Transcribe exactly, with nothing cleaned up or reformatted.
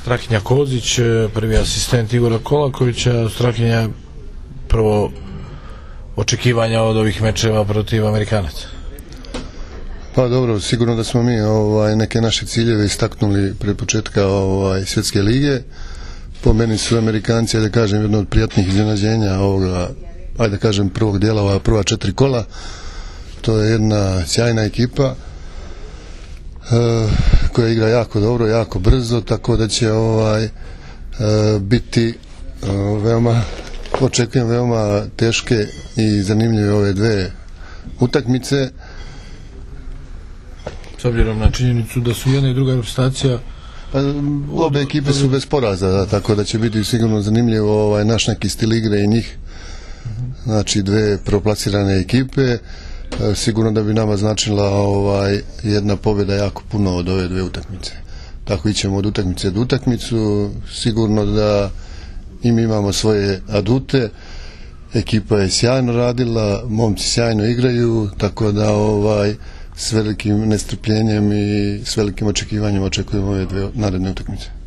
Strahinja Kozić, prvi asistent Igora Kolakovića. Strahinja, prvo očekivanja od ovih mečeva protiv Amerikanaca. Pa dobro, sigurno da smo mi ovaj, neke naše ciljeve istaknuli pre početka ovaj, svjetske lige. Po meni su Amerikanci, da kažem, jedno od prijatnih iznenađenja ovoga, ajde da kažem, prvog dijela, ova prva četiri kola. To je jedna sjajna ekipa e, koja igra jako dobro, jako brzo, tako da će ovaj, e, biti e, veoma, očekujem veoma teške i zanimljive ove dve utakmice. S obzirom na činjenicu da su jedna i druga reprezentacija, pa, obe ekipe su bez poraza, da, tako da će biti sigurno zanimljivo ovaj, naš neki stil igre i njih. Znači dve proplasirane ekipe, e, sigurno da bi nama značila ovaj, jedna pobjeda jako puno od ove dve utakmice. Tako ićemo od utakmice do utakmicu, sigurno da i mi imamo svoje adute, ekipa je sjajno radila, momci sjajno igraju, tako da ovaj, s velikim nestrpljenjem i s velikim očekivanjem očekujemo ove dve naredne utakmice.